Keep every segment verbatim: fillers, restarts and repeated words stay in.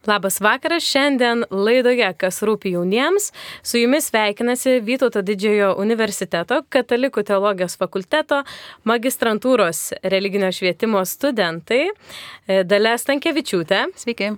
Labas vakaras, šiandien laidoje Kas rūpi jauniems. Su jumis sveikinasi Vytauto Didžiojo universiteto Katalikų teologijos fakulteto magistrantūros religinio švietimo studentai Dalia Stankevičiūtė. Sveiki.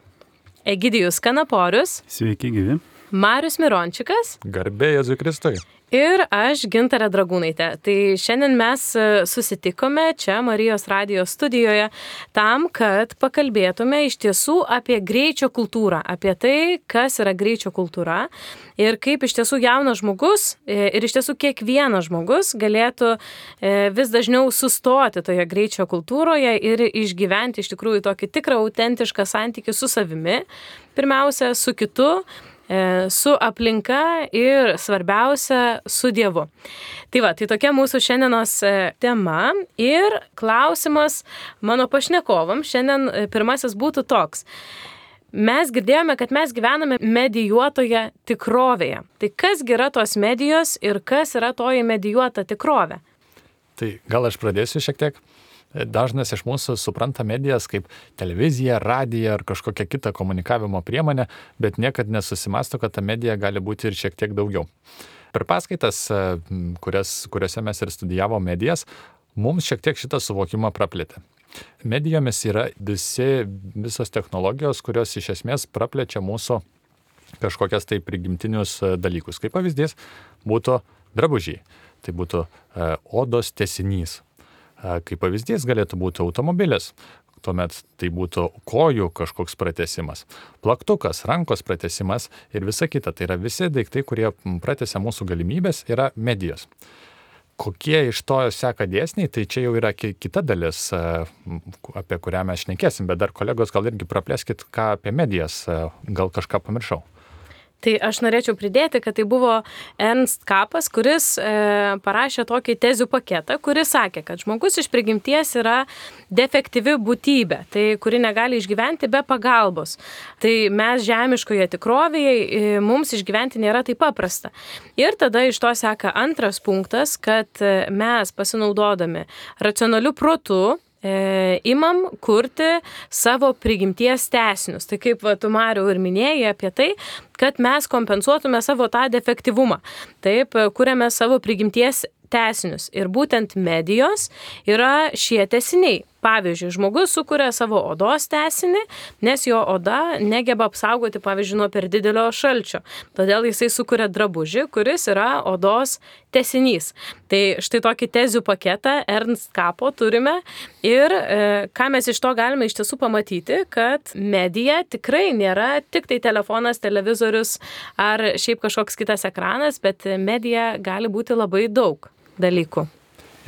Egidijus Kanaporius. Sveiki, gyvi. Marius Mirončikas. Garbė Jėzui Kristui. Ir aš Gintarė Dragūnaitė. Tai šiandien mes susitikome čia Marijos radijos studijoje tam, kad pakalbėtume iš tiesų apie greičio kultūrą, apie tai, kas yra greičio kultūra ir kaip iš tiesų jaunas žmogus ir iš tiesų kiekvienas žmogus galėtų vis dažniau sustoti toje greičio kultūroje ir išgyventi iš tikrųjų tokį tikrą, autentišką santykį su savimi, pirmiausia, su kitu, su aplinka ir svarbiausia su Dievu. Tai va, tai tokia mūsų šiandienos tema ir klausimas mano pašnekovam šiandien pirmasis būtų toks. Mes girdėjome, kad mes gyvename medijuotoje tikrovėje. Tai kasgi yra tos medijos ir kas yra toji medijuota tikrovė? Tai gal aš pradėsiu šiek tiek. Dažnas iš mūsų supranta medijas kaip televiziją, radiją ar kažkokią kitą komunikavimo priemonę, bet niekad nesusimasto, kad ta medija gali būti ir šiek tiek daugiau. Per paskaitas, kurias, kuriuose mes ir studijavom medijas, mums šiek tiek šitą suvokimą praplėtė. Medijomis yra visi, visos technologijos, kurios iš esmės praplečia mūsų kažkokias tai prigimtinius dalykus. Kaip pavyzdys būtų drabužiai, tai būtų e, odos tęsinys. Kaip pavyzdys galėtų būti automobilis, tuomet tai būtų kojų kažkoks pratęsimas, plaktukas, rankos pratęsimas ir visa kita. Tai yra visi daiktai, kurie pratęsia mūsų galimybės, yra medijos. Kokie iš to seka dėsniai, tai čia jau yra kita dalis, apie kurią mes šnekėsim, bet dar kolegos gal irgi praplėskit, ką apie medijas, gal kažką pamiršau. Tai aš norėčiau pridėti, kad tai buvo Ernst Kapas, kuris e, parašė tokį tezių paketą, kuris sakė, kad žmogus iš prigimties yra defektyvi būtybė, tai kuri negali išgyventi be pagalbos. Tai mes žemiškoje tikrovėje e, mums išgyventi nėra taip paprasta. Ir tada iš to seka antras punktas, kad mes pasinaudodami racionaliu protu, E, imam kurti savo prigimties tęsinius. Tai kaip va, tu, Mariau, ir minėjai apie tai, kad mes kompensuotume savo tą defektyvumą. Taip, kuriame savo prigimties tęsinius. Ir būtent medijos yra šie tęsiniai. Pavyzdžiui, žmogus sukuria savo odos tęsinį, nes jo oda negeba apsaugoti, pavyzdžiui, nuo per didelio šalčio. Todėl jisai sukuria drabužį, kuris yra odos tęsinys. Tai štai tokį tezių paketą Ernst Kapo turime ir e, ką mes iš to galime iš tiesų pamatyti, kad medija tikrai nėra tik tai telefonas, televizorius ar šiaip kažkoks kitas ekranas, bet medija gali būti labai daug dalykų.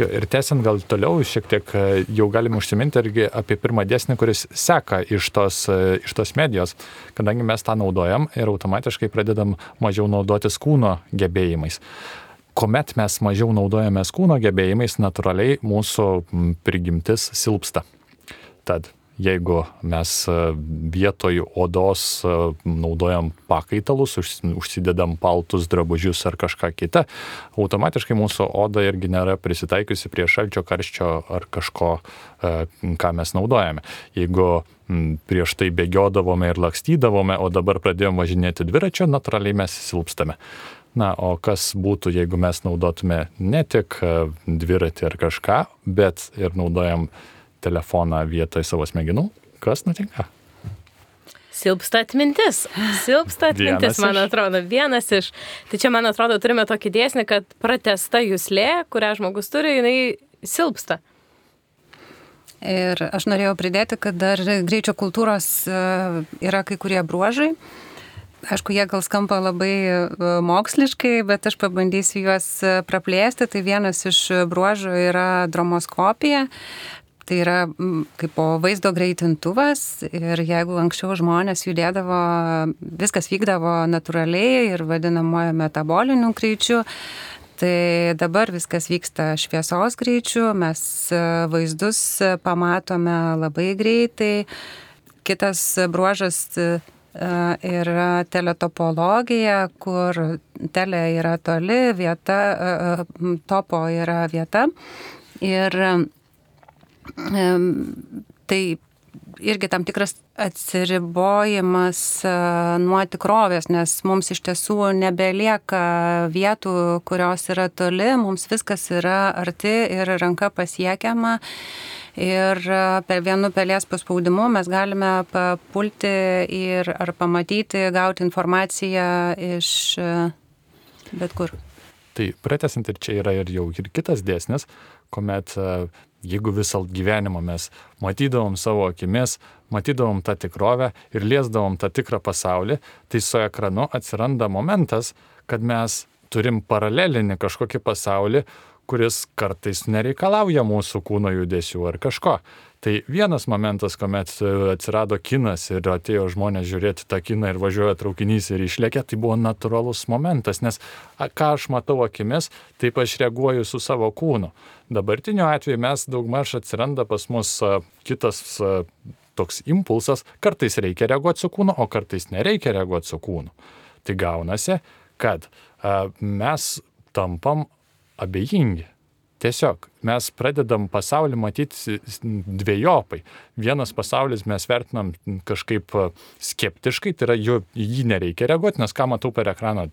Jo, ir tęsiant gal toliau, šiek tiek jau galime užsiminti irgi apie pirmą dėsnį, kuris seka iš tos, iš tos medijos, kadangi mes tą naudojam ir automatiškai pradedam mažiau naudotis kūno gebėjimais. Kuomet mes mažiau naudojamės kūno gebėjimais, natūraliai mūsų prigimtis silpsta. Tad jeigu mes vietoj odos naudojam pakaitalus, užsidedam paltus, drabužius ar kažką kitą, automatiškai mūsų oda irgi nėra prisitaikiusi prie šalčio, karščio ar kažko, ką mes naudojame. Jeigu prieš tai bėgiodavome ir lakstydavome, o dabar pradėjom važinėti dviračio, natūraliai mes silpstame. Na, o kas būtų, jeigu mes naudotume ne tik dviratį ar kažką, bet ir naudojam telefoną vietoj savo smegenų, kas nutinka? Silpsta atmintis. Silpsta atmintis, man atrodo, vienas iš. Tai čia, man atrodo, turime tokį dėsnį, kad pratęsta juslė, kurią žmogus turi, jinai silpsta. Ir aš norėjau pridėti, kad dar greičio kultūros yra kai kurie bruožai. Aišku, jie gal skamba labai moksliškai, bet aš pabandysiu juos praplėsti. Tai vienas iš bruožų yra dromoskopija. Tai yra kaip po vaizdo greitintuvas ir jeigu anksčiau žmonės judėdavo, viskas vykdavo natūraliai ir vadinamojo metaboliniu greičiu, tai dabar viskas vyksta šviesos greičiu, mes vaizdus pamatome labai greitai. Kitas bruožas yra teletopologija, kur tele yra toli, vieta, topo yra vieta. Ir tai irgi tam tikras atsiribojimas nuo tikrovės, nes mums iš tiesų nebelieka vietų, kurios yra toli, mums viskas yra arti ir ranka pasiekiama. Ir per vienu pelės paspaudimu mes galime papulti ir ar pamatyti, gauti informaciją iš bet kur. Tai pratęsint, ir čia yra ir jau ir kitas dėsnis, kuomet jeigu visą gyvenimą mes matydavom savo akimis, matydavom tą tikrovę ir liesdavom tą tikrą pasaulį, tai su ekranu atsiranda momentas, kad mes turim paralelinį kažkokį pasaulį, kuris kartais nereikalauja mūsų kūno judesių ar kažko. Tai vienas momentas, kuomet atsirado kinas ir atėjo žmonės žiūrėti tą kiną ir važiuoja traukinys ir išlėkė, tai buvo natūralus momentas, nes ką aš matau akimis, taip aš reaguoju su savo kūnu. Dabartiniu atveju mes daugmaž atsiranda pas mus kitas toks impulsas, kartais reikia reaguoti su kūnu, o kartais nereikia reaguoti su kūnu. Tai gaunasi, kad mes tampam abejingi. Tiesiog mes pradedam pasaulį matyti dvejopai. Vienas pasaulis mes vertinam kažkaip skeptiškai, tai yra jo, jį nereikia reaguoti, nes ką matau per ekraną,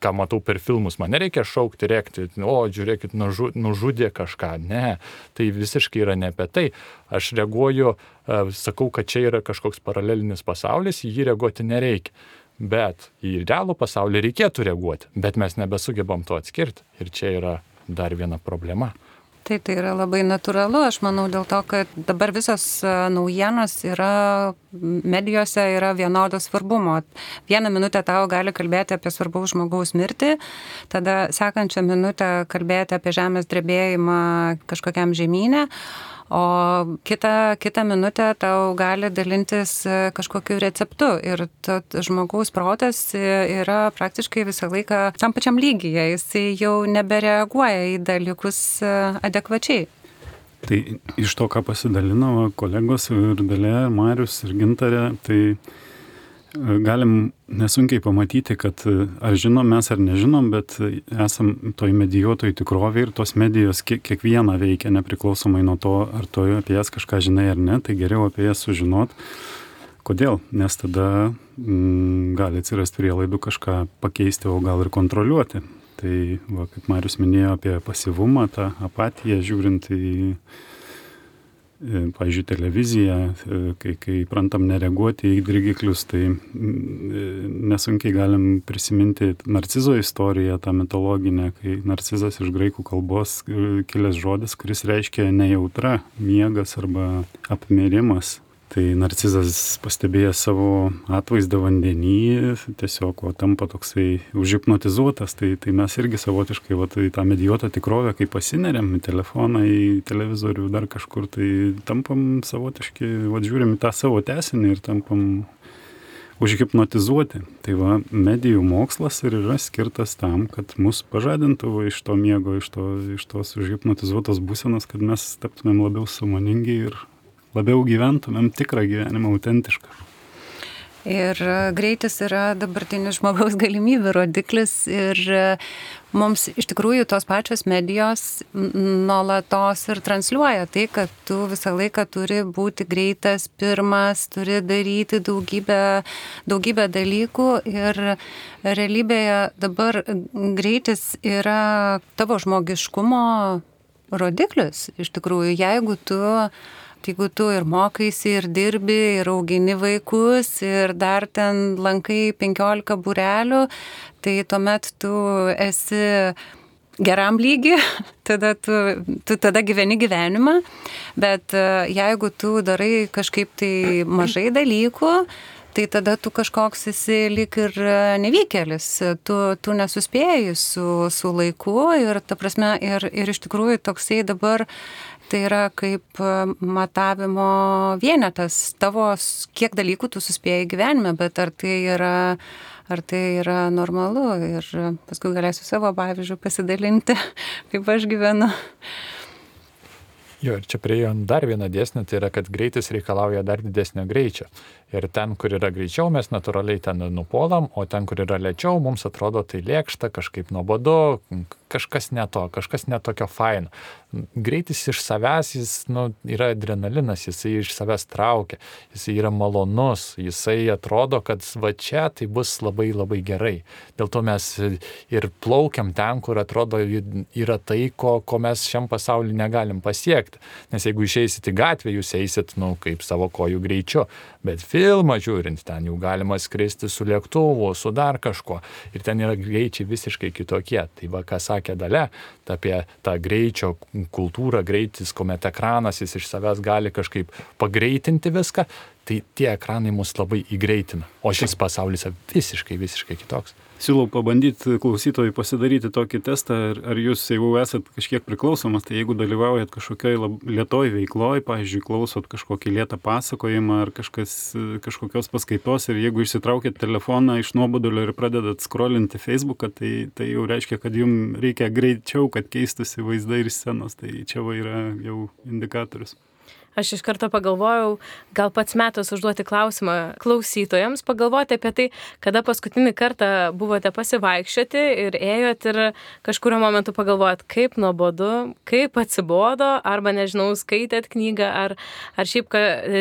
ką matau per filmus, man nereikia šaukti, rėkti, o žiūrėkit, nužu, nužudė kažką. Ne, tai visiškai yra ne apie tai. Aš reaguoju, sakau, kad čia yra kažkoks paralelinis pasaulis, į jį reaguoti nereikia. Bet į realų pasaulį reikėtų reaguoti, bet mes nebesugebam to atskirti. Ir čia yra dar viena problema. Tai tai yra labai natūralu, aš manau, dėl to, kad dabar visos naujienos yra, medijose yra vienodo svarbumo. Vieną minutę tau gali kalbėti apie svarbaus žmogaus mirtį, tada sekančią minutę kalbėti apie žemės drebėjimą kažkokiam žemyne, o kitą, kitą minutę tau gali dalintis kažkokiu receptu. Ir žmogaus protas yra praktiškai visą laiką tam pačiam lygyje, jis jau nebereaguoja į dalykus adekvačiai. Tai iš to, ką pasidalino kolegos ir Dalia, ir Marius, ir Gintarė, tai galim nesunkiai pamatyti, kad ar žinom mes ar nežinom, bet esam toj medijuotoj tikrovėj ir tos medijos kiek, kiekvieną veikia, nepriklausomai nuo to, ar tu apie jas kažką žinai ar ne, tai geriau apie jas sužinot. Kodėl? Nes tada mm, gali atsirasti prielaidų kažką pakeisti, o gal ir kontroliuoti. Tai, va, kaip Marius minėjo apie pasyvumą, tą apatiją, žiūrint į pavyzdžiui, televiziją, kai, kai prantam nereaguoti į dirgiklius, tai nesunkiai galim prisiminti Narcizo istoriją, tą mitologinę, kai Narcizas iš graikų kalbos kilęs žodis, kuris reiškia nejautra, miegas arba apmirimas. Tai Narcizas pastebėjęs savo atvaizdą vandenį, tiesiog o, tampa toksai užhipnotizuotas, tai, tai mes irgi savotiškai va, tai tą medijuotą tikrovę, kai pasineriam į telefoną, į televizorių, dar kažkur, tai tampam savotiškai, va, žiūrim į tą savo tęsinį ir tampam užhipnotizuoti. Tai va, medijų mokslas ir yra skirtas tam, kad mus pažadintų va, iš to miego, iš, to, iš tos užhipnotizuotos būsenos, kad mes taptumėm labiau sąmoningi ir labiau gyventumėm tikrą gyvenimą, autentišką. Ir greitis yra dabartinis žmogaus galimybių rodiklis ir mums iš tikrųjų tos pačios medijos nuolatos ir transliuoja tai, kad tu visą laiką turi būti greitas, pirmas, turi daryti daugybę, daugybę dalykų ir realybėje dabar greitis yra tavo žmogiškumo rodiklis. Iš tikrųjų, jeigu tu Jeigu tu ir mokaisi, ir dirbi, ir augini vaikus, ir dar ten lankai penkiolika būrelių, tai tuomet tu esi geram lygi, tada tu, tu tada gyveni gyvenimą, bet jeigu tu darai kažkaip tai mažai dalykų, tai tada tu kažkoks esi lyg ir nevykėlis, tu, tu nesuspėjai su, su laiku ir ta prasme, ir, ir iš tikrųjų toksai dabar tai yra kaip matavimo vienetas tavo, kiek dalykų tu suspėjai gyvenime, bet ar tai yra, ar tai yra normalu ir paskui galėsiu savo pavyzdžių pasidalinti, kaip aš gyvenu. Jo, ir čia prieėjom dar vieną dėsnį, tai yra, kad greitis reikalauja dar didesnio greičio. Ir ten, kur yra greičiau, mes natūraliai ten nupuolam, o ten, kur yra lėčiau, mums atrodo tai lėkšta, kažkaip nuobodu, kažkas ne to, kažkas ne tokio faino. Greitis iš savęs, jis nu, yra adrenalinas, jisai iš savęs traukia, jisai yra malonus, jisai atrodo, kad va čia tai bus labai labai gerai. Dėl to mes ir plaukiam ten, kur atrodo yra tai, ko, ko mes šiam pasauliu negalim pasiekti. Nes jeigu išeisit į gatvę, jūs eisit, nu, kaip savo kojų greičiu. Bet filmą žiūrint, ten jau galima skristi su lėktuvu, su dar kažkuo. Ir ten yra greičiai visiškai kitokie. Tai va, ką sakė Dalia, apie tą greičio kultūrą, greitis, kuomet ekranas jis iš savęs gali kažkaip pagreitinti viską, tai tie ekranai mus labai įgreitina. O šis pasaulis visiškai, visiškai kitoks. Siūlau pabandyti klausytojui pasidaryti tokį testą, ar, ar jūs, jeigu esat kažkiek priklausomas, tai jeigu dalyvaujat kažkokioj lietoj veikloj, pavyzdžiui, klausot kažkokį lietą pasakojimą ar kažkas, kažkokios paskaitos ir jeigu išsitraukėt telefoną iš nuobodulio ir pradedat scrollinti Facebooką, tai, tai jau reiškia, kad jums reikia greičiau, kad keistųsi vaizdai ir scenos. Tai čia va yra jau indikatorius. Aš iš karto pagalvojau, gal pats metas užduoti klausimą klausytojams, pagalvoti apie tai, kada paskutinį kartą buvote pasivaikščioti ir ėjot ir kažkurio momentu pagalvojot, kaip nuobodu, kaip atsibodo, arba, nežinau, skaitėt knygą, ar, ar šiaip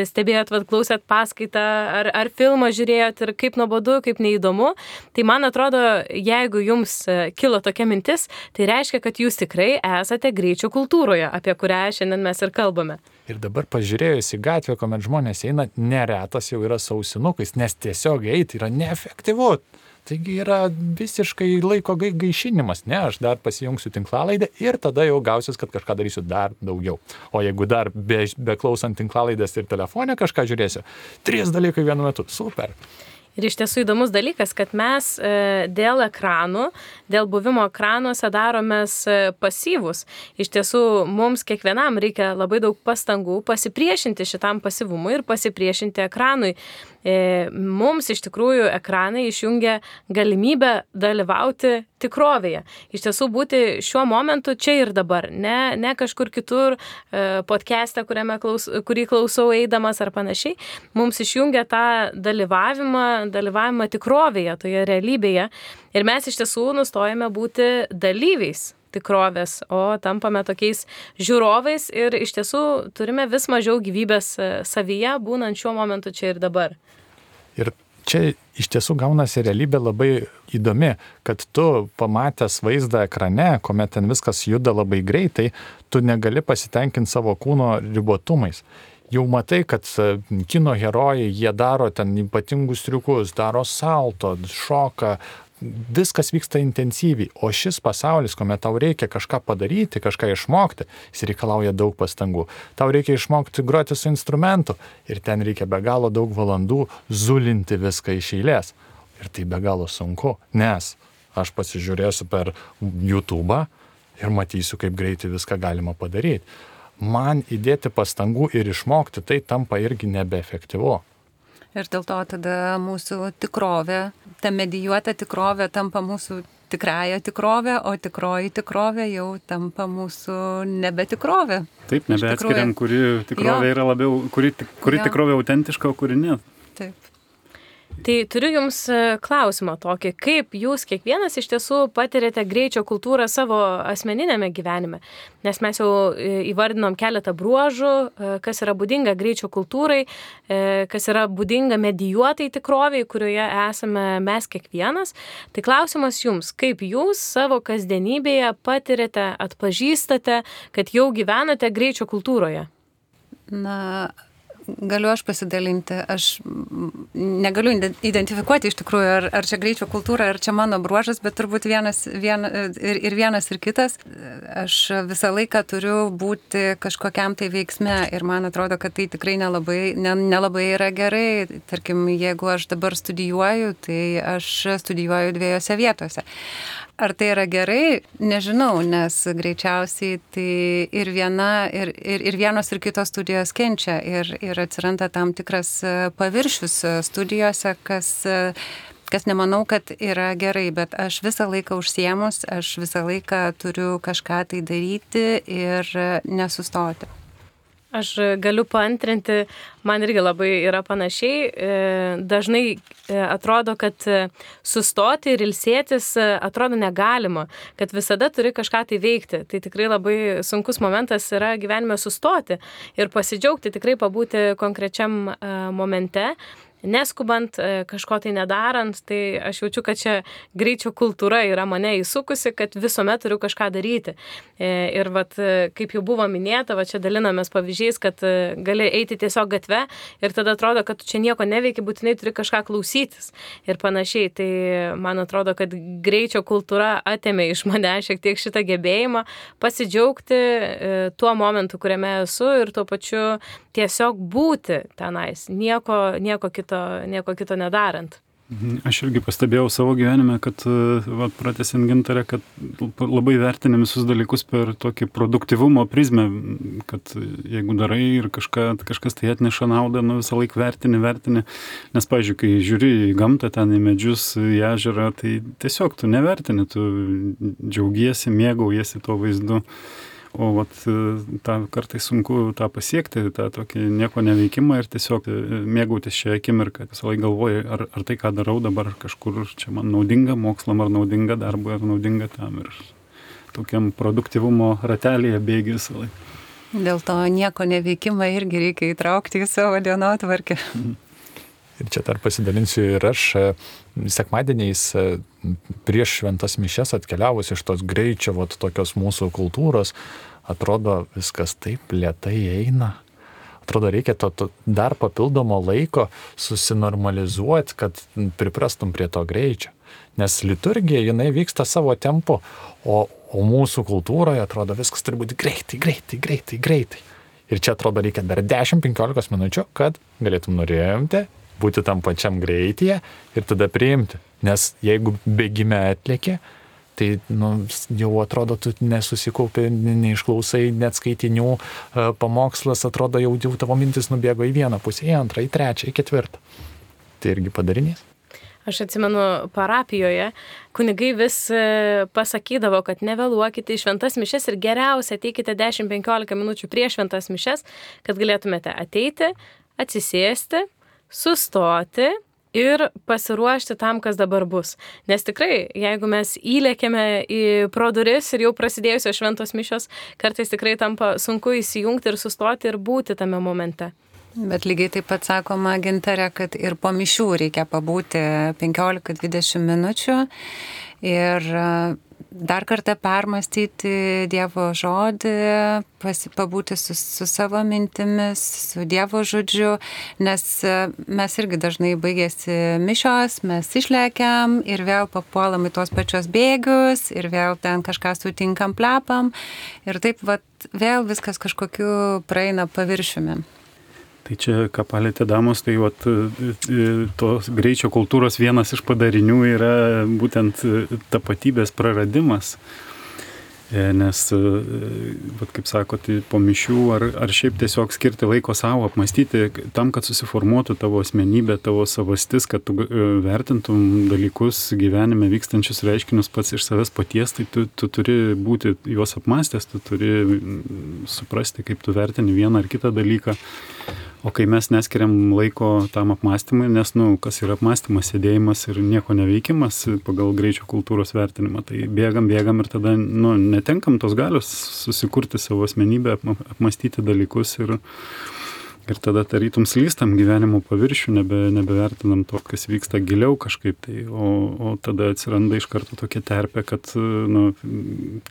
stebėjot, vat, klausėt paskaitą, ar, ar filmą žiūrėjot ir kaip nuobodu, kaip neįdomu. Tai man atrodo, jeigu jums kilo tokia mintis, tai reiškia, kad jūs tikrai esate greičio kultūroje, apie kurią šiandien mes ir kalbame. Ir dabar pažiūrėjus į gatvę, kuomet žmonės eina, neretas jau yra su ausinukais, nes tiesiog eiti yra neefektyvu. Taigi yra visiškai laiko gaišinimas. Ne, aš dar pasijungsiu tinklalaidę ir tada jau gausiu, kad kažką darysiu dar daugiau. O jeigu dar be, be klausant tinklalaidės ir telefone kažką žiūrėsiu, trys dalykai vienu metu. Super. Ir iš tiesų įdomus dalykas, kad mes dėl ekranų, dėl buvimo ekranuose daromės pasyvus. Iš tiesų mums kiekvienam reikia labai daug pastangų pasipriešinti šitam pasyvumui ir pasipriešinti ekranui. Mums iš tikrųjų ekranai išjungia galimybę dalyvauti tikrovėje. Iš tiesų būti šiuo momentu čia ir dabar, ne, ne kažkur kitur podcast'e, klaus, kurį klausau eidamas ar panašiai. Mums išjungia tą dalyvavimą, dalyvavimą tikrovėje, toje realybėje. Ir mes iš tiesų nustojame būti dalyviais tikrovės, o tampame tokiais žiūrovais ir iš tiesų turime vis mažiau gyvybės savyje, būnant šiuo momentu čia ir dabar. Ir čia iš tiesų gaunasi realybė labai įdomi, kad tu pamatęs vaizdą ekrane, kuomet ten viskas juda labai greitai, tu negali pasitenkinti savo kūno ribotumais. Jau matai, kad kino herojai, jie daro ten ypatingus triukus, daro salto, šoka, viskas vyksta intensyviai, o šis pasaulis, kuomet tau reikia kažką padaryti, kažką išmokti, jis reikalauja daug pastangų. Tau reikia išmokti groti su instrumentu ir ten reikia be galo daug valandų zulinti viską iš eilės. Ir tai be galo sunku, nes aš pasižiūrėsiu per YouTube'ą ir matysiu, kaip greitai viską galima padaryti. Man įdėti pastangų ir išmokti tai tampa irgi nebeefektyvu. Ir dėl to tada mūsų tikrovė, ta medijuota tikrovė tampa mūsų tikrąją tikrovę, o tikroji tikrovė jau tampa mūsų nebetikrovė. Taip, nebeatskiriam, kuri tikrovė jo. Yra labiau, kuri, kuri tikrovė autentiška, o kuri ne. Taip. Tai turiu jums klausimą tokį, kaip jūs kiekvienas iš tiesų patirėte greičio kultūrą savo asmeninėme gyvenime, nes mes jau įvardinom keletą bruožų, kas yra būdinga greičio kultūrai, kas yra būdinga medijuotai tikroviai, kurioje esame mes kiekvienas. Tai klausimas jums, kaip jūs savo kasdienybėje patirėte, atpažįstate, kad jau gyvenate greičio kultūroje? Na, galiu aš pasidalinti. Aš negaliu identifikuoti iš tikrųjų, ar, ar čia greičio kultūra, ar čia mano bruožas, bet turbūt vienas, vien, ir, ir vienas, ir kitas. Aš visą laiką turiu būti kažkokiam tai veiksme ir man atrodo, kad tai tikrai nelabai, ne, nelabai yra gerai. Tarkim, jeigu aš dabar studijuoju, tai aš studijuoju dviejose vietose. Ar tai yra gerai? Nežinau, nes greičiausiai tai ir viena, ir, ir, ir vienos, ir kitos studijos kenčia ir, ir atsiranda tam tikras paviršius studijose, kas, kas nemanau, kad yra gerai, bet aš visą laiką užsiemus, aš visą laiką turiu kažką tai daryti ir nesustoti. Aš galiu paantrinti, man irgi labai yra panašiai. Dažnai atrodo, kad sustoti ir ilsėtis atrodo negalima, kad visada turi kažką tai veikti. Tai tikrai labai sunkus momentas yra gyvenime sustoti ir pasidžiaugti, tikrai pabūti konkrečiam momente. Neskubant, kažko tai nedarant, tai aš jaučiu, kad čia greičio kultūra yra mane įsukusi, kad visuomet turiu kažką daryti. Ir vat, kaip jau buvo minėta, va čia dalinamės pavyzdžiais, kad gali eiti tiesiog gatve ir tada atrodo, kad tu čia nieko neveiki, būtinai turi kažką klausytis ir panašiai. Tai man atrodo, kad greičio kultūra atėmė iš mane šiek tiek šitą gebėjimą pasidžiaugti tuo momentu, kuriame esu ir tuo pačiu tiesiog būti tenais, nieko, nieko kito nieko kito nedarant. Aš irgi pastebėjau savo gyvenime, kad, va, pratęsiant Gintarę, kad labai vertini visus dalykus per tokį produktyvumo prizmę, kad jeigu darai ir kažką, kažkas tai atneša naudą, nu visą laiką vertini, vertini. Nes, pavyzdžiui, kai žiūri į gamtą, ten į medžius, į ežerą, tai tiesiog tu nevertini, tu džiaugiesi, mėgaujiesi tuo vaizdu. O vat, tą kartais sunku tą pasiekti, tą tokį nieko neveikimą ir tiesiog mėgautis šią akimirką. Visą laiką galvoju, ar, ar tai, ką darau dabar kažkur, čia man naudinga mokslam, ar naudinga darbui, ar naudinga tam. Ir tokiam produktyvumo ratelėje bėgi visą laiką. Dėl to nieko neveikimą irgi reikia įtraukti į savo dienotvarkę. Ir čia dar pasidalinsiu ir aš sekmadieniais prieš šventas mišias atkeliavus iš tos greičio, vat, tokios mūsų kultūros, atrodo viskas taip lėtai eina. Atrodo reikia to, to dar papildomo laiko susinormalizuoti, kad priprastum prie to greičio. Nes liturgija, jinai vyksta savo tempu, o, o mūsų kultūroje atrodo viskas turi būti greitai, greitai, greitai, greitai. Ir čia atrodo reikia dar dešimt penkiolika minučių, kad galėtum norėjimti būti tam pačiam greityje ir tada priimti. Nes jeigu bėgime atlėkė, tai nu, jau atrodo, tu nesusikaupi, neišklausai net skaitinių, pamokslas atrodo, jau, jau tavo mintis nubėgo į vieną pusę, į antrą, į trečią, į ketvirtą. Tai irgi padarinys. Aš atsimenu parapijoje, kunigai vis pasakydavo, kad nevėluokite į šventas mišias ir geriausia ateikite dešimt penkiolika minučių prieš šventas mišias, kad galėtumėte ateiti, atsisėsti, sustoti ir pasiruošti tam, kas dabar bus. Nes tikrai, jeigu mes įlėkėme į pro duris ir jau prasidėjusios šventos mišios, kartais tikrai tampa sunku įsijungti ir sustoti ir būti tame momente. Bet lygiai taip pat sakoma, Gintarė, kad ir po mišių reikia pabūti penkiolika dvidešimt minučių ir dar kartą permastyti Dievo žodį, pabūti su, su savo mintimis, su Dievo žodžiu, nes mes irgi dažnai baigėsi mišios, mes išlekiam ir vėl papuolam į tuos pačios bėgius ir vėl ten kažką sutinkam, plepam ir taip vat, vėl viskas kažkokiu praeina paviršiumi. Tai čia, ką palėtė damos, tai vat, tos greičio kultūros vienas iš padarinių yra būtent tapatybės praradimas. Nes, vat, kaip sakot, po mišių ar, ar šiaip tiesiog skirti laiko savo, apmastyti tam, kad susiformuotų tavo asmenybė, tavo savastis, kad tu vertintum dalykus gyvenime vykstančius reiškinius pats iš savęs paties, tai tu, tu turi būti juos apmastęs, tu turi suprasti, kaip tu vertini vieną ar kitą dalyką. O kai mes neskiriam laiko tam apmąstymui, nes, nu, kas yra apmąstymas, sėdėjimas ir nieko neveikimas pagal greičio kultūros vertinimą, tai bėgam, bėgam ir tada, nu, netenkam tos galios susikurti savo asmenybę, apmąstyti dalykus ir, ir tada tarytum slystam gyvenimo paviršių, nebe, nebevertinam to, kas vyksta giliau kažkaip, tai, o, o tada atsiranda iš karto tokia terpė, kad, nu,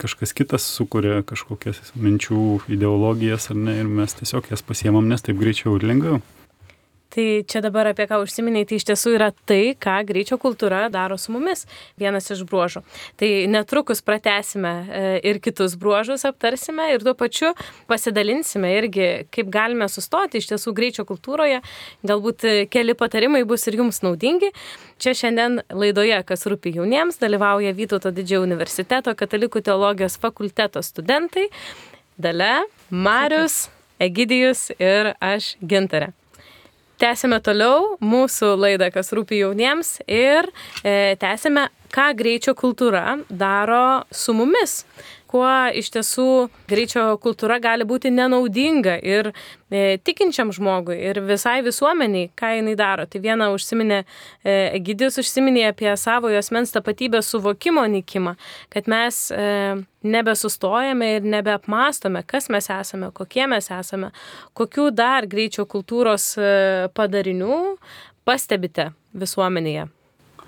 kažkas kitas sukuria kažkokias minčių ideologijas ar ne, ir mes tiesiog jas pasiemam, nes taip greičiau ir lengviau. Tai čia dabar apie ką užsiminiai, tai iš tiesų yra tai, ką greičio kultūra daro su mumis, vienas iš bruožų. Tai netrukus pratęsime ir kitus bruožus aptarsime ir tuo pačiu pasidalinsime irgi, kaip galime sustoti iš tiesų greičio kultūroje. Galbūt keli patarimai bus ir jums naudingi. Čia šiandien laidoje, kas rūpi jauniems, dalyvauja Vytauto Didžiojo universiteto katalikų teologijos fakulteto studentai Dalia, Marius, Egidijus ir aš Gintarė. Tęsime toliau mūsų laidą, kas rūpi jauniems ir e, tęsime, ką greičio kultūra daro su mumis. kuo iš tiesų greičio kultūra gali būti nenaudinga ir e, tikinčiam žmogui ir visai visuomeniai, ką jinai daro. Tai viena užsiminė, e, Egidijus užsiminė apie savojo asmens tapatybės suvokimo nykimą, kad mes e, nebesustojame ir nebeapmastome, kas mes esame, kokie mes esame, kokių dar greičio kultūros e, padarinių pastebite visuomenėje.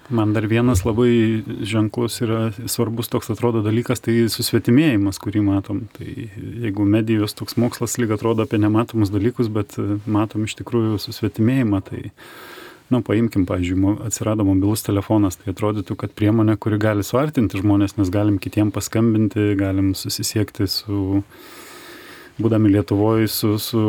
Man dar vienas labai ženklus yra svarbus toks atrodo dalykas, tai susvetimėjimas, kurį matom. Tai jeigu medijos toks mokslas lyg atrodo apie nematomus dalykus, bet matom iš tikrųjų susvetimėjimą, tai, na, paimkim, pavyzdžiui, atsirado mobilus telefonas, tai atrodytų, kad priemonė, kuri gali suartinti žmonės, nes galim kitiem paskambinti, galim susisiekti su, būdami Lietuvoje, su, su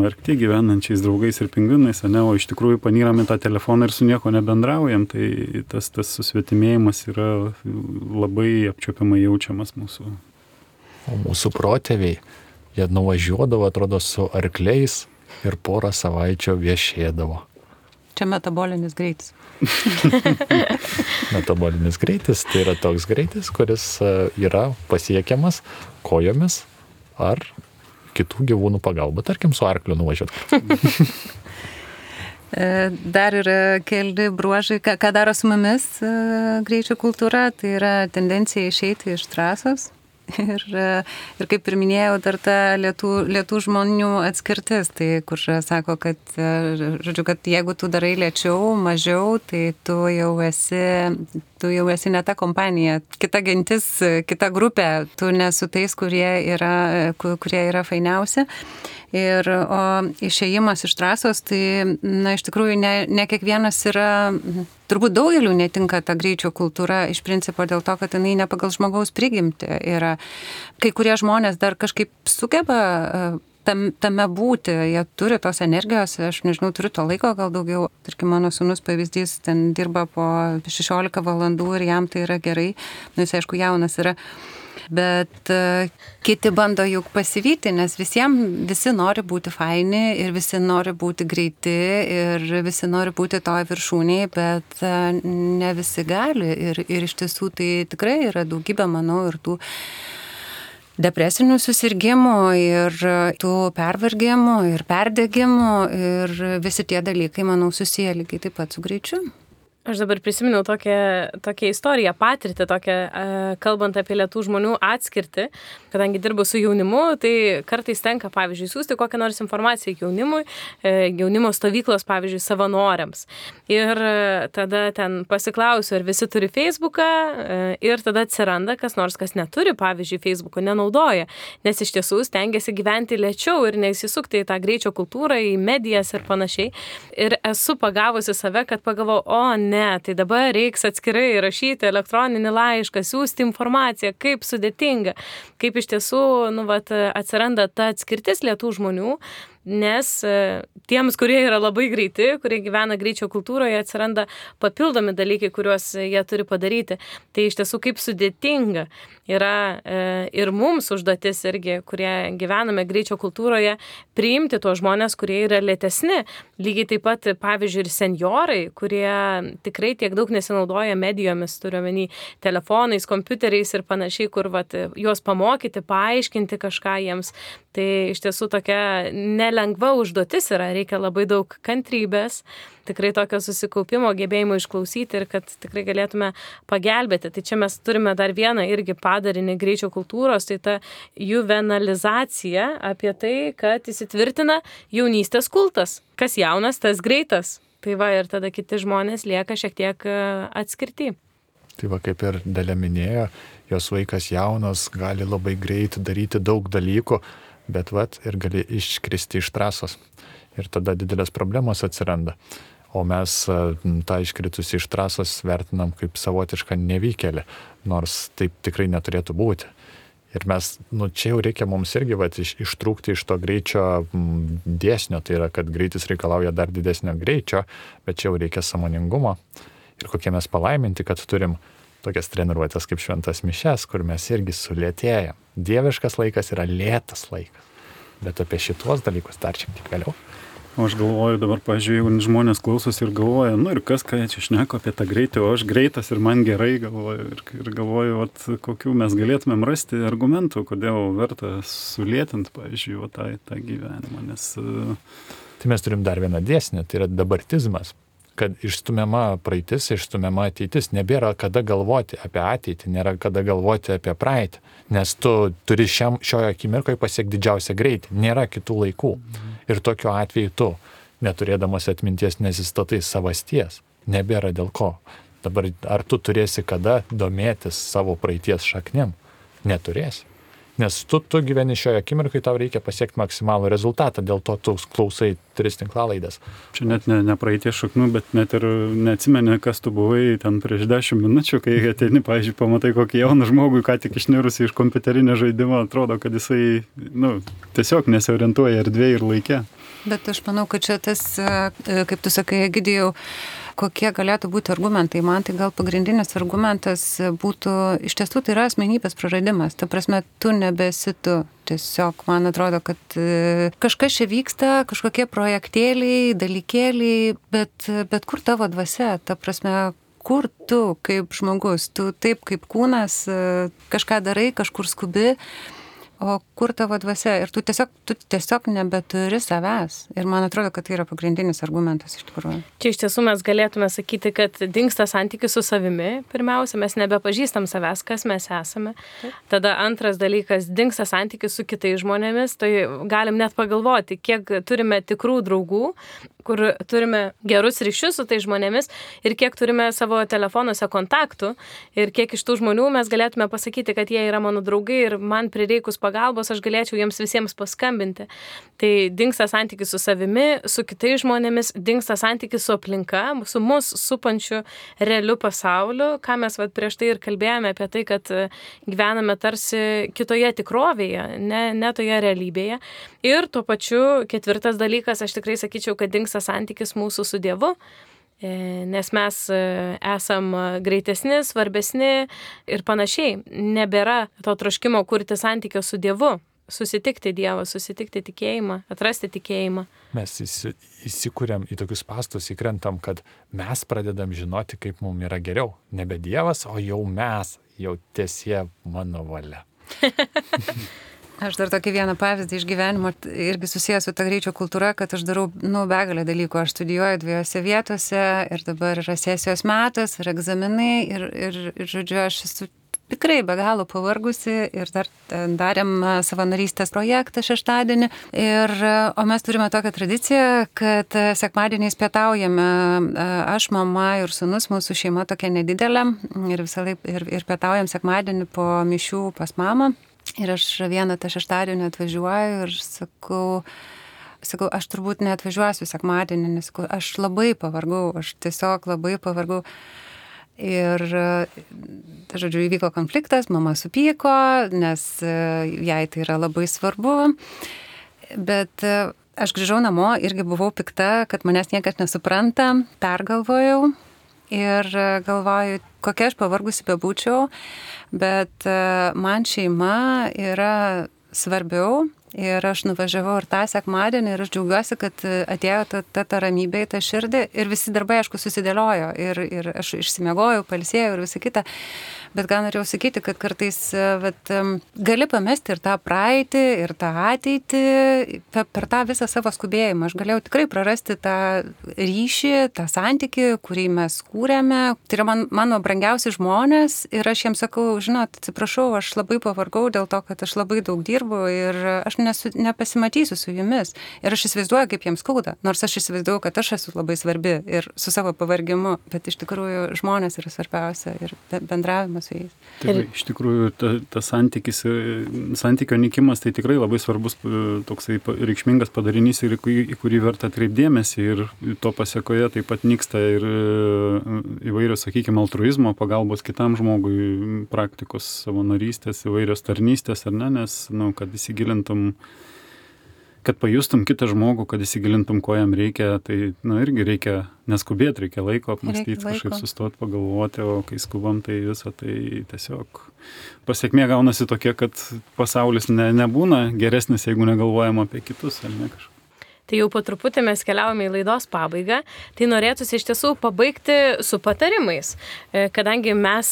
Arkty gyvenančiais draugais ir pingvinais, ne, o iš tikrųjų panyrame tą telefoną ir su nieko nebendraujam, tai tas, tas susvetimėjimas yra labai apčiuopiamai jaučiamas mūsų. O mūsų protėviai, jie nuvažiuodavo, atrodo, su arkliais ir porą savaičių viešėdavo. Čia metabolinis greitis. Metabolinis greitis tai yra toks greitis, kuris yra pasiekiamas kojomis ar kitų gyvūnų pagalba, tarkim, su arkliu nuvažiuoti. Dar yra keli bruožai, ką, ką daro su mumis greičio kultūra, tai yra tendencija išeiti iš trasos. Ir, ir kaip ir minėjau, dar ta lietų, lietų žmonių atskirtis, tai kur sako, kad, žodžiu, kad jeigu tu darai lėčiau, mažiau, tai tu jau esi, tu jau esi ne ta kompanija, kita gentis, kita grupė, tu nesu tais, kurie yra, kurie yra fainiausi. Ir o išėjimas iš trasos, tai, na, iš tikrųjų ne, ne kiekvienas yra, turbūt daugeliu netinka ta greičio kultūra iš principo dėl to, kad jinai ne pagal žmogaus prigimtį yra. Kai kurie žmonės dar kažkaip sugeba tam, tame būti, jie turi tos energijos, aš nežinau, turiu to laiko gal daugiau. Tarkim, mano sūnus pavyzdys, ten dirba po šešiolika valandų ir jam tai yra gerai, nu jis aišku jaunas yra. Bet uh, kiti bando juk pasivyti, nes visiems visi nori būti faini ir visi nori būti greiti ir visi nori būti toje viršūnėje, bet uh, ne visi gali ir, ir iš tiesų tai tikrai yra daugybė, manau, ir tų depresinių susirgymų ir tų pervargimų ir perdegimų ir visi tie dalykai, manau, susiję lygiai taip pat su greičiu. Aš dabar prisiminiau tokią, tokią istoriją, patirtį, tokią, kalbant apie lietų žmonių atskirtį, kadangi dirbu su jaunimu, tai kartais tenka, pavyzdžiui, siūsti kokią nors informaciją jaunimui, jaunimo stovyklos, pavyzdžiui, savanoriams. Ir tada ten pasiklausiu, ar visi turi Facebooką, ir tada atsiranda kas nors, kas neturi, pavyzdžiui, Facebooko, nenaudoja, nes iš tiesų stengiasi gyventi lėčiau ir neįsisukti į tą greičio kultūrą, į medijas ir panašiai. Ir esu pagavusi save, kad pagalvojau, o ne, Ne, tai dabar reiks atskirai rašyti elektroninį laišką, siūsti informaciją, kaip sudėtinga, kaip iš tiesų nu, vat, atsiranda ta atskirtis lietų žmonių, nes tiems, kurie yra labai greiti, kurie gyvena greičio kultūroje, atsiranda papildomi dalykai, kuriuos jie turi padaryti. Tai iš tiesų kaip sudėtinga yra e, ir mums užduotis irgi, kurie gyvename greičio kultūroje, priimti tuos žmonės, kurie yra lėtesni. Lygiai taip pat, pavyzdžiui, ir senjorai, kurie tikrai tiek daug nesinaudoja medijomis, turiuomenį telefonais, kompiuteriais ir panašiai, kur vat, juos pamokyti, paaiškinti kažką jiems. Tai iš tiesų tokia nelengva užduotis yra, reikia labai daug kantrybės, tikrai tokio susikaupimo, gebėjimo išklausyti ir kad tikrai galėtume pagelbėti. Tai čia mes turime dar vieną irgi padarinį greičio kultūros, tai ta juvenalizacija apie tai, kad įsitvirtina jaunystės kultas. Kas jaunas, tas greitas. Tai va ir tada kiti žmonės lieka šiek tiek atskirti. Tai va kaip ir Dalia minėjo, jos vaikas jaunas, gali labai greit daryti daug dalykų, bet vat ir gali iškristi iš trasos. Ir tada didelės problemos atsiranda. O mes tą iškritusį iš trasos vertinam kaip savotišką nevykėlį, nors taip tikrai neturėtų būti. Ir mes, nu čia jau reikia mums irgi vat, iš, ištrūkti iš to greičio dėsnio, tai yra, kad greitis reikalauja dar didesnio greičio, bet čia jau reikia sąmoningumo. Ir kokie mes palaiminti, kad turim tokias treniruotės kaip šventas mišias, kur mes irgi sulėtėjam. Dieviškas laikas yra lėtas laikas. Bet apie šitos dalykus dar šiek tiek vėliau. O aš galvoju dabar, pažiūrėjau, žmonės klausosi ir galvoja, nu ir kas, ką čia šneko apie tą greitį, o aš greitas ir man gerai galvoju. Ir, ir galvoju, vat, kokių mes galėtumėm rasti argumentų, kodėl verta sulėtinti, pažiūrėjau, tą, tą gyvenimą. Nes... Tai mes turim dar vieną dėsnį, tai yra dabartizmas. Kad išstumiama praeitis, išstumiama ateitis. Nebėra kada galvoti apie ateitį, nėra kada galvoti apie praeitį. Nes tu turi šiam, šioje akimirkoje pasiekti didžiausią greitį. Nėra kitų laikų. Ir tokiu atveju tu, neturėdamas atminties, nesistatai savasties. Nebėra dėl ko. Dabar ar tu turėsi kada domėtis savo praeities šaknim? Neturėsi. Nes tu, tu gyveni šioje akimirkai, tau reikia pasiekti maksimalų rezultatą, dėl to tu klausai tris tinklalaidės. Čia net ne, ne praeities šaknų, bet net ir neatsimeni, kas tu buvai ten prieš dešimt minučių, kai ateini, pavyzdžiui, pamatai kokį jauną žmogų, ką tik išnirusi iš kompiuterinio žaidimo, atrodo, kad jisai nu, tiesiog nesiorientuoja erdvėje ir laike. Bet aš manau, kad čia tas, kaip tu sakai, Egidijau, kokie galėtų būti argumentai. Man tai gal pagrindinis argumentas būtų, iš tiesų tai yra asmenybės praradimas. Ta prasme, tu nebesi tu. Tiesiog man atrodo, kad kažkas čia vyksta, kažkokie projektėliai, dalykėliai, bet, bet kur tavo dvasia? Ta prasme, kur tu kaip žmogus? Tu taip kaip kūnas kažką darai, kažkur skubi. O kur tavo dvasia? Ir tu tiesiog, tu tiesiog nebeturi savęs. Ir man atrodo, kad tai yra pagrindinis argumentas iš tikrųjų. Čia iš tiesų mes galėtume sakyti, kad dingsta santykis su savimi. Pirmiausia, mes nebepažįstam savęs, kas mes esame. Tada antras dalykas, dingsta santykis su kitais žmonėmis. Tai galim net pagalvoti, kiek turime tikrų draugų, kur turime gerus ryšius su tai žmonėmis ir kiek turime savo telefonuose kontaktų ir kiek iš tų žmonių mes galėtume pasakyti, kad jie yra mano draugai ir man prireikus pagalbos aš galėčiau jiems visiems paskambinti. Tai dingsta santykis su savimi, su kitais žmonėmis, dingsta santykis su aplinka, su mus supančiu realiu pasauliu, ką mes vat, prieš tai ir kalbėjome apie tai, kad gyvename tarsi kitoje tikrovėje, ne, ne toje realybėje. Ir tuo pačiu ketvirtas dalykas, aš tikrai sakyčiau, kad dingsta santykis mūsų su Dievu, nes mes esam greitesni, svarbesni ir panašiai. Nebėra to troškimo kurti santykio su Dievu, susitikti Dievą, susitikti tikėjimą, atrasti tikėjimą. Mes įsikūrėm į tokius pastus, įkrentam, kad mes pradedam žinoti, kaip mums yra geriau. Nebe Dievas, o jau mes, jau tiesie mano valia. Aš dar tokį vieną pavyzdį iš gyvenimo irgi susijęs su ta greičio kultūra, kad aš darau, nu, begalę dalykų. Aš studijuoju dviejose vietose ir dabar yra sesijos metas ir egzaminai ir, ir, ir žodžiu, aš esu tikrai be galo pavargusi ir dar darėm savanorystės projektą šeštadienį. Ir, o mes turime tokią tradiciją, kad sekmadieniais pietaujame. Aš, mama ir sūnus, mūsų šeima tokia nedidelė ir visą laiką ir, ir pietaujam sekmadienį po mišių pas mamą. Ir aš vieną tą šeštadienį atvažiuoju ir sakau, sakau, aš turbūt neatvažiuosiu sekmadienį, nes sakau, aš labai pavargau, aš tiesiog labai pavargau. Ir, tai žodžiu, įvyko konfliktas, mama supyko, nes jai tai yra labai svarbu. Bet aš grįžau namo, irgi buvau pikta, kad manęs niekas nesupranta, pergalvojau. Ir galvoju, kokia aš pavargusi bebūčiau, bet man šeima yra svarbiau ir aš nuvažiavau ir tą sekmadienį ir aš džiaugiuosi, kad atėjo ta, ta, ta ramybė į tą širdį ir visi darbai, aišku, susidėliojo ir, ir aš išsimiegojau, pailsėjau ir visa kita. Bet gal norėjau sakyti, kad kartais vat, gali pamesti ir tą praeitį, ir tą ateitį per, per tą visą savo skubėjimą. Aš galėjau tikrai prarasti tą ryšį, tą santykį, kurį mes kūrėme. Tai yra man, mano brangiausi žmonės ir aš jiems sakau, žinot, atsiprašau, aš labai pavargau dėl to, kad aš labai daug dirbu ir aš nesu, nepasimatysiu su jumis. Ir aš įsivaizduoju, kaip jiems skauda. Nors aš įsivaizduoju, kad aš esu labai svarbi ir su savo pavargimu, bet iš tikrųjų žmonės yra svarbiausia ir bendravimas. Tai iš tikrųjų ta, ta santykis, santykio nykimas tai tikrai labai svarbus toksai reikšmingas padarinys ir į kurį verta atkreipdėmėsi ir to pasiekoje taip pat nyksta ir įvairios, sakykime, altruizmo, pagalbos kitam žmogui, praktikos savanorystės, įvairios tarnystės, ar ne, nes, nu, kad įsigilintum, kad pajustum kitą žmogų, kad įsigilintum, ko jam reikia, tai, na, irgi reikia neskubėti, reikia laiko apmastyti, kažkaip sustoti, pagalvoti, o kai skubam, tai visą, tai tiesiog pasiekmė gaunasi tokia, kad pasaulis ne, nebūna geresnis, jeigu negalvojam apie kitus, ar ne kažką. Tai jau po truputį mes keliaujame į laidos pabaigą, tai norėtųsi iš tiesų pabaigti su patarimais, kadangi mes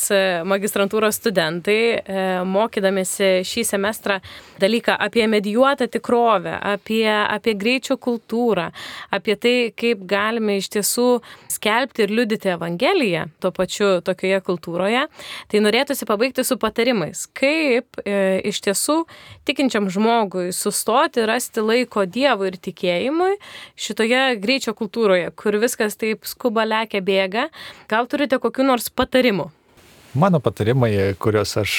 magistrantūros studentai, mokydamėsi šį semestrą dalyką apie medijuotą tikrovę, apie, apie greičio kultūrą, apie tai, kaip galime iš tiesų skelbti ir liudyti Evangeliją tuo pačiu tokioje kultūroje, tai norėtųsi pabaigti su patarimais, kaip e, iš tiesų tikinčiam žmogui sustoti, rasti laiko Dievui ir tikėjimui šitoje greičio kultūroje, kur viskas taip skuba, lekia, bėga. Gal turite kokių nors patarimų? Mano patarimai, kuriuos aš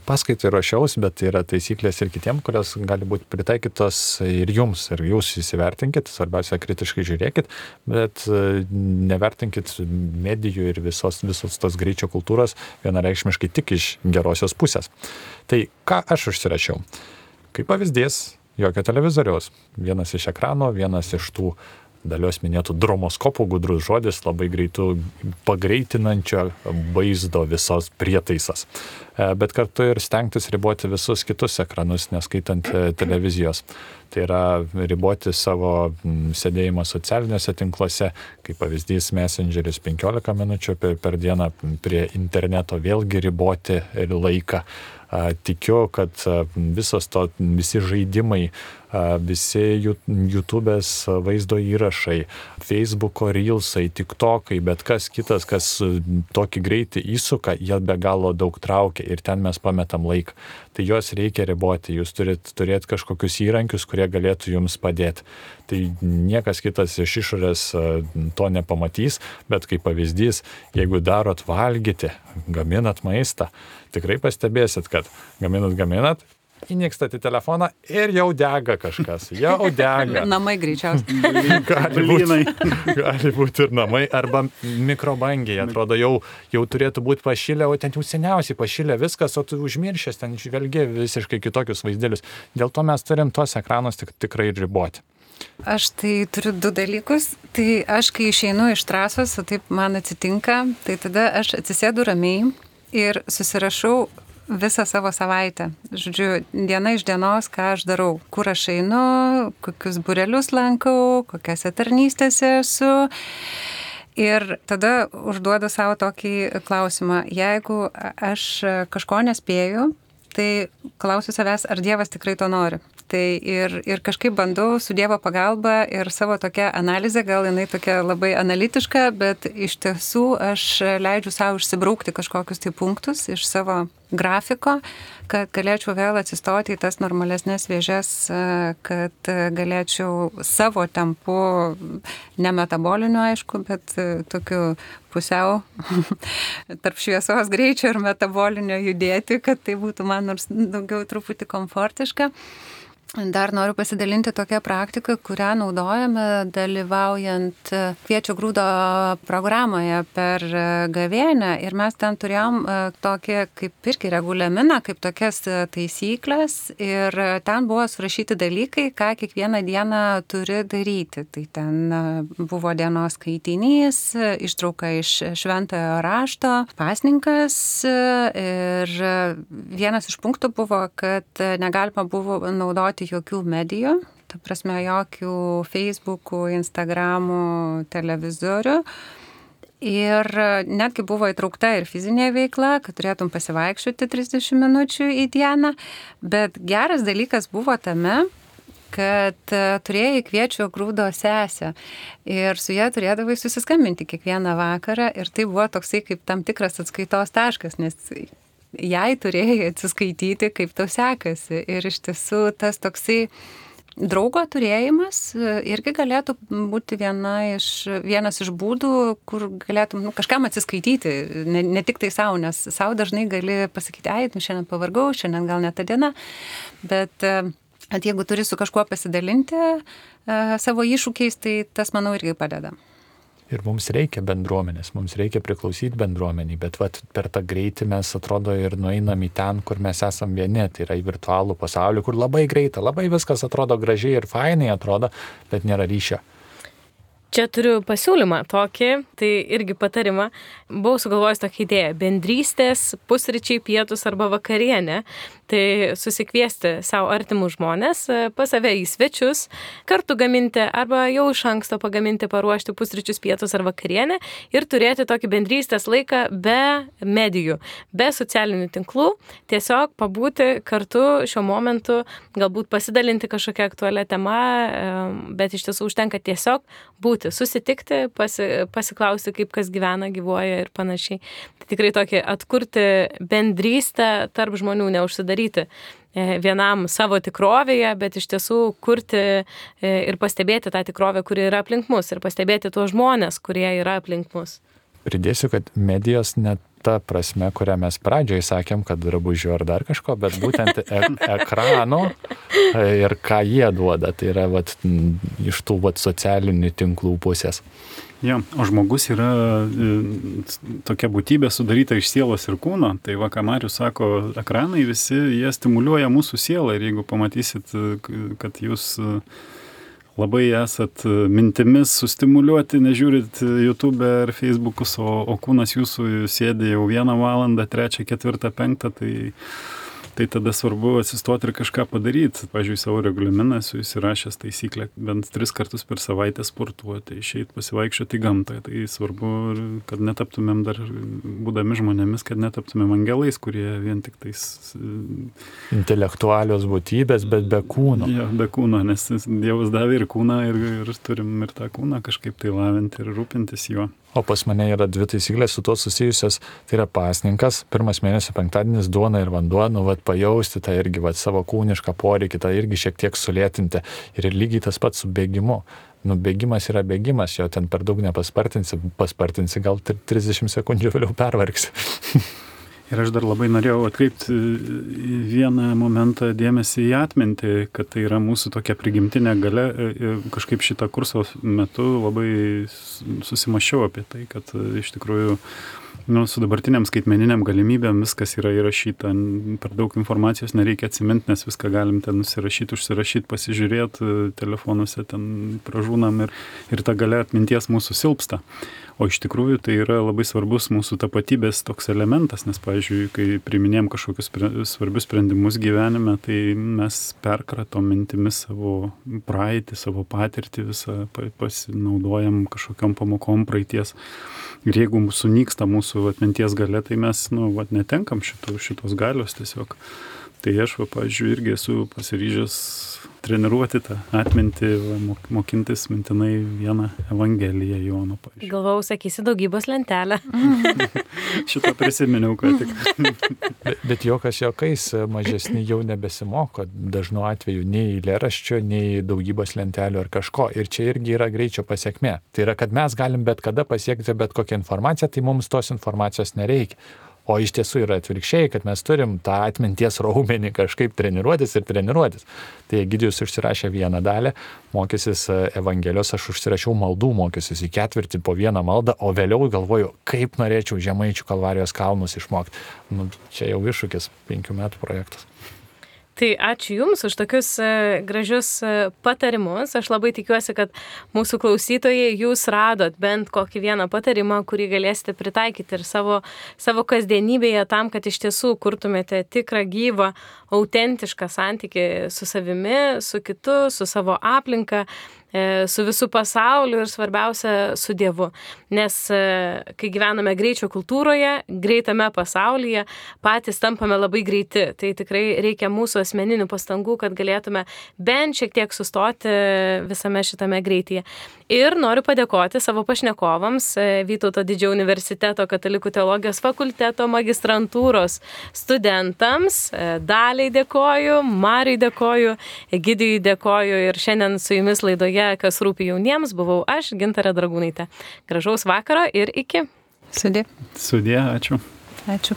paskaitai ruošiaus, bet yra taisyklės ir kitiem, kurios gali būti pritaikytos ir jums, ir jūs įsivertinkit, svarbiausia, kritiškai žiūrėkit, bet nevertinkit medijų ir visos, visos tos greičio kultūros vienareikšmiškai tik iš gerosios pusės. Tai ką aš užsirašiau? Kaip pavyzdys, jokio televizoriaus. Vienas iš ekrano, vienas iš tų Dalios minėtų dromoskopų, gudrus žodis, labai greitų pagreitinančio vaizdo visos prietaisas. Bet kartu ir stengtis riboti visus kitus ekranus, neskaitant televizijos. Tai yra riboti savo sėdėjimą socialiniuose tinkluose, kaip pavyzdys Messengeris penkiolika minučių per, per dieną, prie interneto vėlgi riboti ir laiką. Tikiu, kad visos to, visi žaidimai, visi YouTube'ės vaizdo įrašai, Facebook'o reelsai, TikTok'ai, bet kas kitas, kas tokį greitį įsuka, jie be galo daug traukia ir ten mes pametam laiką. Tai juos reikia riboti, jūs turit turėti kažkokius įrankius, kurie galėtų jums padėti. Tai niekas kitas iš išorės to nepamatys, bet kaip pavyzdys, jeigu darot valgyti, gaminat maistą, tikrai pastebėsit, kad gaminat, gaminat, įnikstat į telefoną ir jau dega kažkas, jau dega. Namai greičiausiai. Gali būti, gali būti ir namai, arba mikrobangiai, atrodo, jau, jau turėtų būti pašilę, o ten jau seniausiai pašilę viskas, o tu užmiršęs, ten žvelgi visiškai kitokius vaizdėlius. Dėl to mes turim tos ekranus tik, tikrai riboti. Aš tai turiu du dalykus. Tai aš, kai išeinu iš trasos, o taip man atsitinka, tai tada aš atsisėdu ramiai ir susirašau visą savo savaitę. Žodžiu, diena iš dienos, ką aš darau, kur aš einu, kokius būrelius lankau, kokiose tarnystėse esu. Ir tada užduodu savo tokį klausimą. Jeigu aš kažko nespėju, tai klausiu savęs, ar Dievas tikrai to nori. Tai ir, ir kažkaip bandau su Dievo pagalba ir savo tokia analizė, gal jinai tokia labai analitiška, bet iš tiesų aš leidžiu savo išsibraukti kažkokius tai punktus iš savo grafiko, kad galėčiau vėl atsistoti į tas normalesnės vėžes, kad galėčiau savo tempu, ne metaboliniu aišku, bet tokiu pusiau tarp šviesos greičio ir metabolinio judėti, kad tai būtų man nors daugiau truputį komfortiška. Dar noriu pasidalinti tokią praktiką, kurią naudojame dalyvaujant Kviečio grūdo programoje per gavėnią. Ir mes ten turėjom tokį kaip irgi reguliaminą, kaip tokias taisyklės. Ir ten buvo surašyti dalykai, ką kiekvieną dieną turi daryti. Tai ten buvo dienos skaitinys, ištrauka iš šventojo rašto, pasninkas. Ir vienas iš punktų buvo, kad negalima buvo naudoti jokių medijų, ta prasme jokių Facebookų, Instagramų, televizorių. Ir netgi buvo įtraukta ir fizinė veikla, kad turėtum pasivaikščioti trisdešimt minučių į dieną. Bet geras dalykas buvo tame, kad turėjai Kviečio grūdo sesę ir su ja turėdavai susiskambinti kiekvieną vakarą ir tai buvo toksai kaip tam tikras atskaitos taškas, nes jai turėjai atsiskaityti, kaip tau sekasi. Ir iš tiesų tas toksai draugo turėjimas irgi galėtų būti viena iš, vienas iš būdų, kur galėtum nu, kažkam atsiskaityti, ne, ne tik tai savo, nes savo dažnai gali pasakyti, ai, nu, šiandien pavargau, šiandien gal ne ta diena, bet at, jeigu turi su kažkuo pasidalinti uh, savo iššūkiais, tai tas, manau, irgi padeda. Ir mums reikia bendruomenės, mums reikia priklausyti bendruomeniai, bet vat, per tą greitį mes atrodo ir nueinam į ten, kur mes esam vieni, tai yra į virtualų pasaulį, kur labai greita, labai viskas atrodo gražiai ir fainai atrodo, bet nėra ryšio. Čia turiu pasiūlymą tokį, tai irgi patarimą. Buvau sugalvojęs tokią idėją. Bendrystės, pusryčiai, pietus arba vakarienė. Tai susikviesti savo artimų žmonės, pas save į svečius, kartu gaminti arba jau iš anksto pagaminti, paruošti pusryčius, pietus ar vakarienę ir turėti tokį bendrystės laiką be medijų, be socialinių tinklų, tiesiog pabūti kartu šiuo momentu, galbūt pasidalinti kažkokią aktualią temą, bet iš tiesų užtenka tiesiog būti, susitikti, pasi, pasiklausti, kaip kas gyvena, gyvuoja ir panašiai. Tai tikrai tokį atkurti bendrystę tarp žmonių, neužsidaryti vienam savo tikrovėje, bet iš tiesų kurti ir pastebėti tą tikrovę, kuri yra aplink mus ir pastebėti tuos žmonės, kurie yra aplink mus. Pridėsiu, kad medijos net ta prasme, kurią mes pradžioje sakėm, kad drabužių ar dar kažko, bet būtent e- ekrano ir ką jie duoda, tai yra vat, iš tų vat, socialinių tinklų pusės. Ja, o žmogus yra e, tokia būtybė sudaryta iš sielos ir kūno, tai va, ką Marius sako, ekranai visi, jie stimuliuoja mūsų sielą ir jeigu pamatysit, kad jūs labai esat mintimis sustimuliuoti, nežiūrit YouTube ar Facebookus, o, o kūnas jūsų sėdi jau vieną valandą, trečią, ketvirtą, penktą, tai, tai tada svarbu atsistoti ir kažką padaryti. Pavyzdžiui, savo regulaminą esu įsirašęs taisyklę bent tris kartus per savaitę sportuoti, išeiti pasivaikščioti į gamtą. Tai svarbu, kad netaptumėm dar, būdami žmonėmis, kad netaptumėm angelais, kurie vien tik tais... Intelektualios būtybės, bet be kūno. Ja, be kūno, nes Dievas davė ir kūną ir, ir turim ir tą kūną kažkaip tai lavinti ir rūpintis juo. O pas mane yra dvi taisyklės su to susijusios, tai yra pasninkas, pirmas mėnesio penktadienis, duona ir vanduo, nu vat pajausti tą irgi vat savo kūnišką poreikį, tą irgi šiek tiek sulėtinti ir lygiai tas pats su bėgimu. Nu, bėgimas yra bėgimas, jo ten per daug nepaspartinsi, paspartinsi, gal trisdešimt sekundžių vėliau pervargsi. Ir aš dar labai norėjau atkreipti vieną momentą dėmesį į atmintį, kad tai yra mūsų tokia prigimtinė galia. Kažkaip šitą kurso metu labai susimašiau apie tai, kad iš tikrųjų nu, su dabartiniam skaitmeniniam galimybėm viskas yra įrašyta. Per daug informacijos nereikia atsiminti, nes viską galim ten nusirašyti, užsirašyti, pasižiūrėti, telefonuose ten pražūnam ir, ir ta galia atminties mūsų silpsta. O iš tikrųjų tai yra labai svarbus mūsų tapatybės toks elementas, nes, pavyzdžiui, kai priiminėjom kažkokius svarbius sprendimus gyvenime, tai mes perkratom mintimis savo praeitį, savo patirtį visą, pasinaudojam kažkokiom pamokom praeities. Ir jeigu sunyksta mūsų atminties galia, tai mes, nu, vat, netenkam šitų, šitos galios tiesiog. Tai aš, va, pavyzdžiui, irgi esu pasiryžęs treniruoti tą atmintį, va, mokintis mintinai vieną Evangeliją Jono, pavyzdžiui. Galvau, sakysi daugybos lentelę. Šitą prisiminiau, ką tik. bet, bet jokas jokais mažesni jau nebesimoko dažnu atveju nei eilėraščio, nei daugybos lentelių ar kažko. Ir čia irgi yra greičio pasiekmė. Tai yra, kad mes galim bet kada pasiekti bet kokią informaciją, tai mums tos informacijos nereikia. O iš tiesų yra atvirkščiai, kad mes turim tą atminties raumenį kažkaip treniruotis ir treniruotis. Tai Egidijus užsirašė vieną dalį, mokysis Evangelijos, aš užsirašiau maldų, mokysis į ketvirtį po vieną maldą, o vėliau galvoju, kaip norėčiau Žemaičių Kalvarijos kalnus išmokti. Nu, čia jau iššūkis, penkių metų projektas. Tai ačiū Jums už tokius gražius patarimus. Aš labai tikiuosi, kad mūsų klausytojai Jūs radot bent kokį vieną patarimą, kurį galėsite pritaikyti ir savo, savo kasdienybėje tam, kad iš tiesų kurtumėte tikrą, gyvą, autentišką santykį su savimi, su kitu, su savo aplinka, su visų pasauliu ir svarbiausia su Dievu. Nes kai gyvename greičio kultūroje, greitame pasaulyje, patys tampame labai greiti. Tai tikrai reikia mūsų asmeninių pastangų, kad galėtume bent šiek tiek sustoti visame šitame greityje. Ir noriu padėkoti savo pašnekovams, Vytauto Didžiojo universiteto Katalikų teologijos fakulteto magistrantūros studentams. Daliai dėkoju, Mariui dėkoju, Egidijui dėkoju ir šiandien su Jumis laidoje Kas rūpi jauniems, buvau aš, Gintarė Dragūnaitė. Gražaus vakaro ir iki. Sudie. Sudie, ačiū. Ačiū.